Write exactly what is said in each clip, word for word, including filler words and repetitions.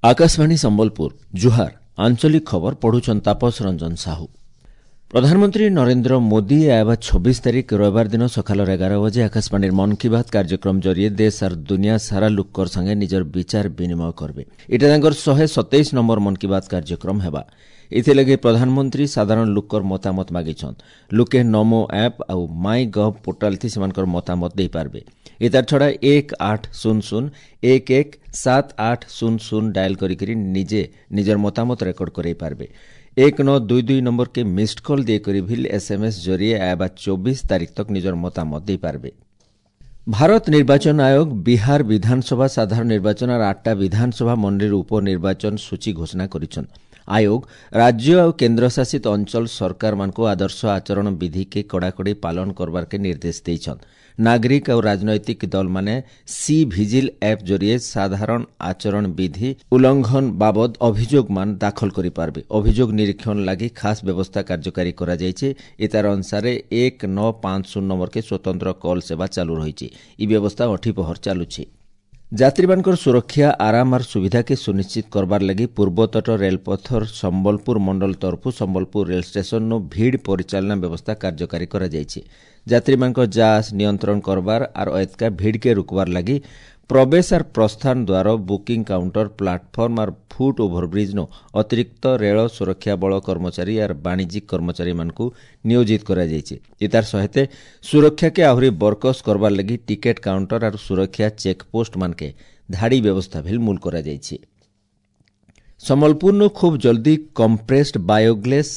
ଆକାଶବାଣୀ ସମ୍ବଲପୁର ଜୁହାର ଆଞ୍ଚଳିକ ଖବର ପଢୁଛନ୍ ତାପସ ରଞ୍ଜନ ସାହୁ ପ୍ରଧାନମନ୍ତ୍ରୀ ନରେନ୍ଦ୍ର ମୋଦି ଆଇବା ଛବିଶ ତାରିଖ ରବିବାର ଦିନ ସକାଳର ଏଗାର ବଜେ ଆକାଶବାଣୀର ମନ୍ କି ବାତ୍ କାର୍ଯ୍ୟକ୍ରମ ଜରିଏ ଦେଶ ଆର୍ ଦୁନିଆ ସାରା ଲୋକର ସାଙ୍ଗେ ନିଜର ବିଚାର ବିନିମୟ କରିବେ ଏଇଟା ତାଙ୍କର ଶହେ ସତେଇଶ ନମ୍ବର ମନ୍ କି ବାତ୍ କାର୍ଯ୍ୟକ୍ରମ ହେବା ଏଥିଲାଗି ପ୍ରଧାନମନ୍ତ୍ରୀ ସାଧାରଣ ଲୋକର ମତାମତ ମାଗିଛନ୍ ଲୋକେ ନମୋ ଆପ୍ ଆଉ ମାଇ ଗଭ୍ ପୋର୍ଟାଲ ଥି ସେମାନଙ୍କର ମତାମତ ଦେଇପାରିବେ ଏତାର ଛଡ଼ା ଏକ ଆଠ ଶୂନ ଶୂନ ଏକ ଏକ ସାତ ଆଠ ଶୂନ ଶୂନ ଡାଏଲ୍ କରିକିରି ନିଜେ ନିଜର ମତାମତ ରେକର୍ଡ କରାଇ ପାରବେ ଏକ ନଅ ଦୁଇ ଦୁଇ ନମ୍ବରକେ ମିସ୍ଡ କଲ୍ ଦେଇକରି ଭିଲ୍ ଏସ୍ଏମ୍ଏସ୍ ଜରିଏ ଆଇବା ଚବିଶ ତାରିଖ ତକ୍ ନିଜର ମତାମତ ଦେଇପାରିବେ ଭାରତ ନିର୍ବାଚନ ଆୟୋଗ ବିହାର ବିଧାନସଭା ସାଧାରଣ ନିର୍ବାଚନ ଆର୍ ଆଠଟା ବିଧାନସଭା ମଣ୍ଡଳୀର ଉପନିର୍ବାଚନ ସୂଚୀ ଘୋଷଣା କରିଛନ୍ ଆୟୋଗ ରାଜ୍ୟ ଆଉ କେନ୍ଦ୍ରଶାସିତ ଅଞ୍ଚଳ ସରକାରମାନଙ୍କୁ ଆଦର୍ଶ ଆଚରଣ ବିଧିକେ କଡ଼ାକଡ଼ି ପାଳନ କରବାର୍କେ ନିର୍ଦ୍ଦେଶ ଦେଇଛନ୍ ନାଗରିକ ଆଉ ରାଜନୈତିକ ଦଳମାନେ ସି ଭିଜିଲ୍ ଆପ୍ ଜରିଏ ସାଧାରଣ ଆଚରଣ ବିଧି ଉଲ୍ଲଂଘନ ବାବଦ ଅଭିଯୋଗମାନ ଦାଖଲ କରିପାରିବେ ଅଭିଯୋଗ ନିରୀକ୍ଷଣ ଲାଗି ଖାସ୍ ବ୍ୟବସ୍ଥା କାର୍ଯ୍ୟକାରୀ କରାଯାଇଛି ଏତାର ଅନୁସାରେ ଏକ ନଅ ପାଞ୍ଚ ଶୂନ ନମ୍ବରକେ ସ୍ୱତନ୍ତ୍ର କଲ୍ ସେବା ଚାଲୁ ରହିଛି ଇ ବ୍ୟବସ୍ଥା ଅଠି ପହର ଚାଲୁଛି ଯାତ୍ରୀମାନଙ୍କର ସୁରକ୍ଷା ଆରାମ ଆର୍ ସୁବିଧାକେ ସୁନିଶ୍ଚିତ କରବାର୍ ଲାଗି ପୂର୍ବତଟ ରେଳପଥର ସମ୍ବଲପୁର ମଣ୍ଡଳ ତରଫରୁ ସମ୍ବଲପୁର ରେଳ ଷ୍ଟେସନରୁ ଭିଡ଼ ପରିଚାଳନା ବ୍ୟବସ୍ଥା କାର୍ଯ୍ୟକାରୀ କରାଯାଇଛି ଯାତ୍ରୀମାନଙ୍କ ଯାଆସ ନିୟନ୍ତ୍ରଣ କରବାର ଆର୍ ଏତକା ଭିଡ଼କେ ରୋକବାର ଲାଗି ପ୍ରବେଶ ଆର୍ ପ୍ରସ୍ଥାନ ଦ୍ୱାର ବୁକିଂ କାଉଣ୍ଟର ପ୍ଲାଟଫର୍ମ ଆର୍ ଫୁଟ୍ ଓଭରବ୍ରିଜ୍ନୁ ଅତିରିକ୍ତ ରେଳ ସୁରକ୍ଷା ବଳ କର୍ମଚାରୀ ଆର୍ ବାଣିଜ୍ୟିକ କର୍ମଚାରୀମାନଙ୍କୁ ନିୟୋଜିତ କରାଯାଇଛି ଏତାର ସହିତ ସୁରକ୍ଷାକେ ଆହୁରି ବରକସ କରବାର ଲାଗି ଟିକେଟ୍ କାଉଣ୍ଟର ଆର୍ ସୁରକ୍ଷା ଚେକପୋଷ୍ଟ ମାନକେ ଧାଡ଼ି ବ୍ୟବସ୍ଥା ଭିଲ୍ ମୂଲ କରାଯାଇଛି ସମ୍ବଲପୁରନୁ ଖୁବ୍ ଜଲ୍ଦି କମ୍ପ୍ରେସ୍ଡ ବାୟୋଗ୍ୟାସ୍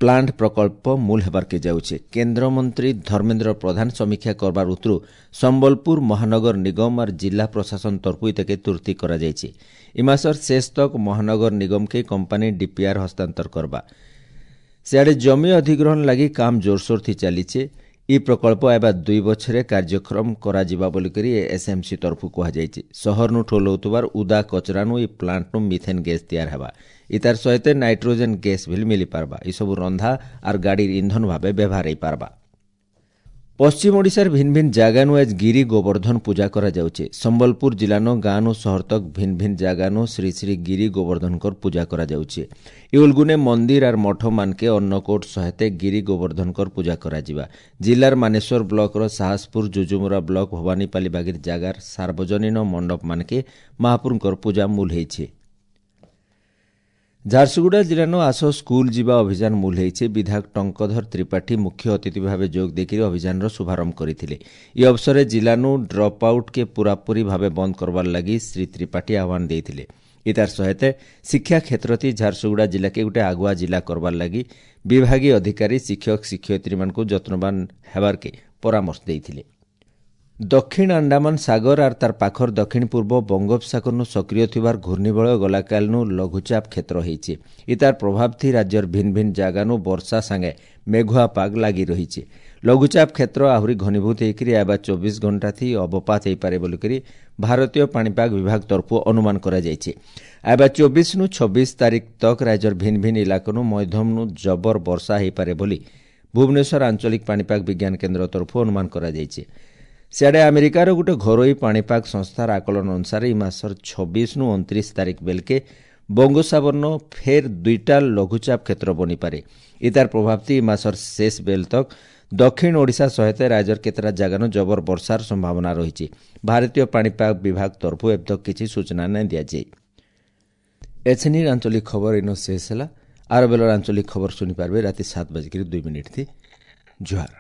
ପ୍ଲାଣ୍ଟ ପ୍ରକଳ୍ପ ମୂଲ ହେବାର୍କେ ଯାଉଛେ କେନ୍ଦ୍ରମନ୍ତ୍ରୀ ଧର୍ମେନ୍ଦ୍ର ପ୍ରଧାନ ସମୀକ୍ଷା କରବାର ଉତରୁ ସମ୍ବଲପୁର ମହାନଗର ନିଗମ ଆର୍ ଜିଲ୍ଲା ପ୍ରଶାସନ ତରଫରୁ ଇତାକେ ତୁର୍ତି କରାଯାଇଛି ଇ ମାସର ଶେଷ ତକ୍ ମହାନଗର ନିଗମକେ କମ୍ପାନୀ ଡିପିଆର୍ ହସ୍ତାନ୍ତର କରବା ସିଆଡ଼େ ଜମି ଅଧିଗ୍ରହଣ ଲାଗି କାମ ଜୋରସୋର ଥି ଚାଲିଛେ ଇ ପ୍ରକଳ୍ପ ଆଇବା ଦୁଇ ବଛରେ କାର୍ଯ୍ୟକ୍ରମ କରାଯିବା ବୋଲିକରି ଏସ୍ଏମ୍ସି ତରଫରୁ କୁହାଯାଇଛି ସହରନୁ ଠୋଲ ହେଉଥିବାର ଉଦା କଚରାନୁ ଇ ପ୍ଲାଣ୍ଟନୁ ମିଥେନ୍ ଗ୍ୟାସ୍ ତିଆର ହେବା ଇତାର ସହିତ ନାଇଟ୍ରୋଜେନ୍ ଗ୍ୟାସ୍ ଭିଲ୍ ମିଳିପାରବା ଏସବୁ ରନ୍ଧା ଆର୍ ଗାଡ଼ିର ଇନ୍ଧନ ଭାବେ ବ୍ୟବହାର ହେଇପାରବା ପଶ୍ଚିମ ଓଡ଼ିଶାର ଭିନ୍ନ ଭିନ୍ନ ଜାଗାନୁ ଆଜ୍ ଗିରି ଗୋବର୍ଦ୍ଧନ ପୂଜା କରାଯାଉଛେ ସମ୍ବଲପୁର ଜିଲ୍ଲାନୁ ଗାଁନୁ ସହର ତକ୍ ଭିନ୍ନ ଭିନ୍ନ ଜାଗାନୁ ଶ୍ରୀ ଶ୍ରୀ ଗିରି ଗୋବର୍ଦ୍ଧନଙ୍କର ପୂଜା କରାଯାଉଛେ ଇଉଲଗୁନେ ମନ୍ଦିର ଆର୍ ମଠ ମାନକେ ଅନ୍ନକୋଟ ସହିତ ଗିରି ଗୋବର୍ଦ୍ଧନଙ୍କର ପୂଜା କରାଯିବା ଜିଲ୍ଲାର ମାନେଶ୍ୱର ବ୍ଲକର ସାହସପୁର ଯୁଯୁମୁରା ବ୍ଲକ ଭବାନୀପାଲି ବାଗିର ଜାଗାର ସାର୍ବଜନୀନ ମଣ୍ଡପ ମାନକେ ମହାପ୍ରଭୁଙ୍କର ପୂଜା ମୂଲ ହେଇଛେ ଝାରସୁଗୁଡ଼ା ଜିଲ୍ଲାନୁ ଆସ ସ୍କୁଲ ଯିବା ଅଭିଯାନ ମୂଲ ହେଇଛେ ବିଧାୟକ ଟଙ୍କଧର ତ୍ରିପାଠୀ ମୁଖ୍ୟ ଅତିଥି ଭାବେ ଯୋଗ ଦେଇକରି ଅଭିଯାନର ଶୁଭାରମ୍ଭ କରିଥିଲେ ଇ ଅବସରରେ ଜିଲ୍ଲାନୁ ଡ୍ରପ୍ ଆଉଟ୍କେ ପୁରାପୁରି ଭାବେ ବନ୍ଦ କରବାର୍ ଲାଗି ଶ୍ରୀ ତ୍ରିପାଠୀ ଆହ୍ୱାନ ଦେଇଥିଲେ ଇତାର ସହିତ ଶିକ୍ଷା କ୍ଷେତ୍ରତି ଝାରସୁଗୁଡ଼ା ଜିଲ୍ଲାକେ ଗୋଟେ ଆଗୁଆ ଜିଲ୍ଲା କରବାର୍ ଲାଗି ବିଭାଗୀୟ ଅଧିକାରୀ ଶିକ୍ଷକ ଶିକ୍ଷୟିତ୍ରୀମାନଙ୍କୁ ଯତ୍ନବାନ ହେବାର୍କେ ପରାମର୍ଶ ଦେଇଥିଲେ ଦକ୍ଷିଣ ଆଣ୍ଡାମାନ ସାଗର ଆର୍ ତାର ପାଖର ଦକ୍ଷିଣ ପୂର୍ବ ବଙ୍ଗୋପସାଗରନୁ ସକ୍ରିୟ ଥିବାର ଘୂର୍ଣ୍ଣିବଳୟ ଗଲାକାଲନୁ ଲଘୁଚାପ କ୍ଷେତ୍ର ହେଇଛି ଇତାର ପ୍ରଭାବ ଥି ରାଜ୍ୟର ଭିନ୍ନ ଭିନ୍ନ ଜାଗାନୁ ବର୍ଷା ସାଙ୍ଗେ ମେଘୁଆ ପାଗ ଲାଗି ରହିଛି ଲଘୁଚାପ କ୍ଷେତ୍ର ଆହୁରି ଘନୀଭୂତ ହେଇକରି ଆଇବା ଚବିଶ ଘଣ୍ଟା ଥି ଅବପାତ ହେଇପାରେ ବୋଲିକରି ଭାରତୀୟ ପାଣିପାଗ ବିଭାଗ ତରଫରୁ ଅନୁମାନ କରାଯାଇଛି ଆଇବା ଚବିଶନୁ ଛବିଶ ତାରିଖ ତକ୍ ରାଜ୍ୟର ଭିନ୍ନ ଭିନ୍ନ ଇଲାକାନୁ ମଧ୍ୟମନୁ ଜବର ବର୍ଷା ହେଇପାରେ ବୋଲି ଭୁବନେଶ୍ୱର ଆଞ୍ଚଳିକ ପାଣିପାଗ ବିଜ୍ଞାନ କେନ୍ଦ୍ର ତରଫରୁ ଅନୁମାନ କରାଯାଇଛି ସିଆଡ଼େ ଆମେରିକାର ଗୋଟେ ଘରୋଇ ପାଣିପାଗ ସଂସ୍ଥାର ଆକଳନ ଅନୁସାରେ ଏଇ ମାସର ଛବିଶନୁ ଅଣତିରିଶ ତାରିଖ ବେଲକେ ବଙ୍ଗୋପସାଗରନ ଫେର୍ ଦୁଇଟା ଲଘୁଚାପ କ୍ଷେତ୍ର ବନିପାରେ ଇତାର ପ୍ରଭାବ ଥି ଏ ମାସର ଶେଷ ବେଲ ତକ୍ ଦକ୍ଷିଣ ଓଡ଼ିଶା ସହିତ ରାଜ୍ୟର କେତେଟା ଜାଗାନୁ ଜବର ବର୍ଷାର ସମ୍ଭାବନା ରହିଛି ଭାରତୀୟ ପାଣିପାଗ ବିଭାଗ ତରଫରୁ ଏବେ ତକ୍ କିଛି ସୂଚନା ନାଇଁ ଦିଆଯାଇ ଏଛେନିର ଆଞ୍ଚଳିକ ଖବର ଇନ ଶେଷ ହେଲା ଆର ବେଲର ଆଞ୍ଚଳିକ ଖବର ଶୁଣିପାରିବେ ରାତି ସାତ ବାଜିକିରି ଦୁଇ ମିନିଟ୍ ଥି ଜୁହାର